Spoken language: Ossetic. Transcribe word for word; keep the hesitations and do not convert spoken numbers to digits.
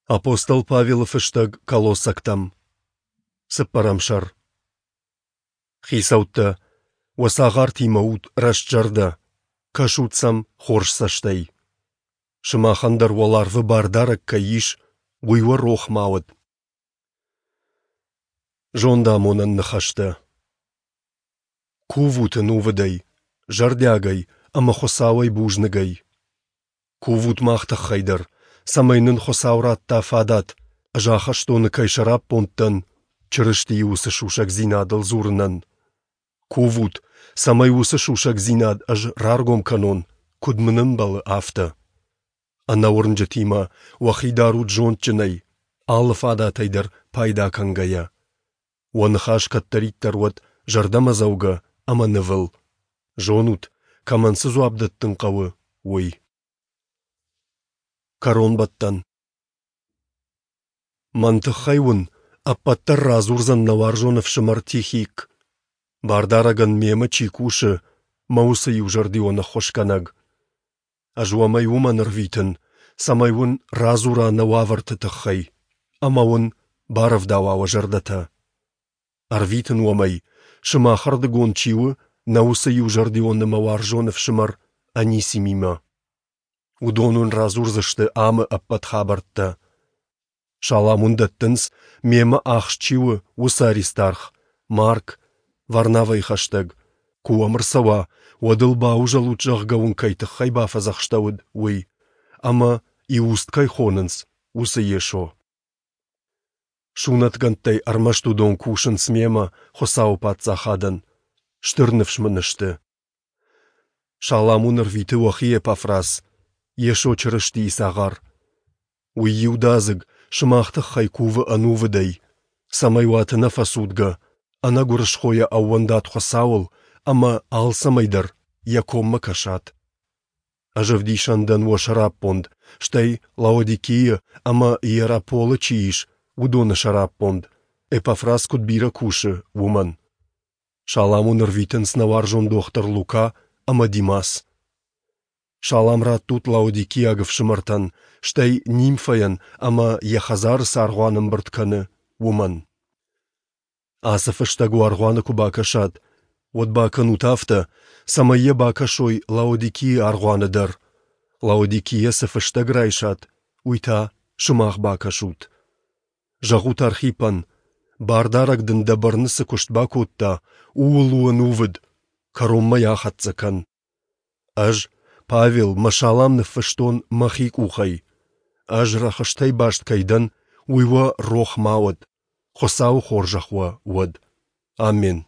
Апостол Павелы фыстӕг Колоссӕгтӕм. Цыппӕрӕм сӕр. Хицӕуттӕ, уӕ цагъартимӕ ут рӕстзӕрдӕ, кӕсут сӕм хорз цӕстӕй. Сымахӕн дӕр уӕларвы Бардарӕг кӕй ис, уый уӕ рох ма уӕд. Зондамонӕн ныхӕстӕ. Кувут ӕнувыдӕй, зӕрдиагӕй ӕмӕ Хуыцауӕй бузныгӕй. Кувут мах тыххӕй дӕр, цӕмӕй нын Хуыцау радта фадат, ӕз ахӕстоны кӕй сӕраппонд дӕн, Чырыстийы уыцы сусӕгдзинадыл дзурынӕн. Кувут, цӕмӕй уыцы сусӕгдзинад ӕз раргом кӕнон, куыд мын ӕмбӕлы, афтӕ. Ӕнӕуырнджытимӕ уӕхи дарут зондджынӕй, алы фадатӕй дӕр пайда кӕнгӕйӕ. Уӕ ныхас кӕддӕриддӕр уӕд зӕрдӕмӕдзӕугӕ ӕмӕ нывыл. Зонут, кӕмӕн цы дзуапп дӕттын хъӕуы, уый. Кӕронбӕттӕн. Мӕн тыххӕй уын ӕппӕт дӕр радзурдзӕн нӕ уарзон ӕфсымӕр Тихик, Бардарӕгӕн мемӕ чи кусы, мӕ уыцы иузӕрдион ӕххуысгӕнӕг. Ӕз уӕм ӕй уымӕн ӕрвитын, цӕмӕй уын радзура нӕ уавӕрты тыххӕй ӕмӕ уын барӕвдауа уӕ зӕрдӕтӕ. Ӕрвитын уӕм ӕй, сымахӕрдыгон чи у, нӕ уыцы иузӕрдион ӕмӕ уарзон ӕфсымӕр Анисимимӕ. Уыдон уын радзурдзысты амы ӕппӕт хабӕрттӕ. Салам уын дӕттынц, мемӕ ахст чи у, уыцы Аристарх, Марк, Варнавӕйы хӕстӕг. Куы уӕм ӕрцӕуа, уӕд ыл баузӕлут, зӕгъгӕ уын кӕй тыххӕй бафӕдзӕхстӕуыд, уый, ӕмӕ Иуст кӕй хонынц, уыцы Йесо. Сунӕтгӕндтӕй ӕрмӕст уыдон кусынц мемӕ Хуыцауы Паддзахадӕн, стыр ныфс мын сты. Салам уын ӕрвиты уӕхи Эпафрас, Йесо Чырыстийы цагъар. Уый иудадзыг сымах тыххӕй кувы ӕнувыдӕй, цӕмӕй уат ӕнӕфӕцудгӕ, ӕнӕгуырысхойӕ ӕууӕндат Хуыцауыл ӕмӕ алцӕмӕй дӕр йӕ коммӕ кӕсат. Ӕз ӕвдисӕн дӕн уӕ сӕраппонд, стӕй Лаодикийы ӕмӕ Иераполы чи ис, уыдоны сӕраппонд, Эпафрас куыд бирӕ кусы, уымӕн. Салам уын ӕрвитынц нӕ уарзон дохтыр Лука ӕмӕ Димас. Салам раттут лаодикиаг ӕфсымӕртӕн, стӕй Нимфӕйӕн ӕмӕ йӕ хӕдзары цы аргъуан ӕмбырд кӕны, уымӕн. Ацы фыстӕг уӕ аргъуаны куы бакӕсат, уӕд бакӕнут афтӕ, цӕмӕй йӕ бакӕсой Лаодикийы аргъуаны дӕр. Лаодикийӕ цы фыстӕг райсат, уый та сымах бакӕсут. Зӕгъут Архипӕн, Бардарӕг дын дӕ бӕрны цы куыст бакодта, ууыл у ӕнувыд, кӕронмӕ йӕ ахӕццӕ кӕн. Ӕз, Павел, мӕ салам ныффыстон мӕхи къухӕй. Ӕз рӕхыстӕй баст кӕй дӕн, уый уӕ рох ма уӕд. Хуыцауы хорзӕх уӕ уӕд. Аммен.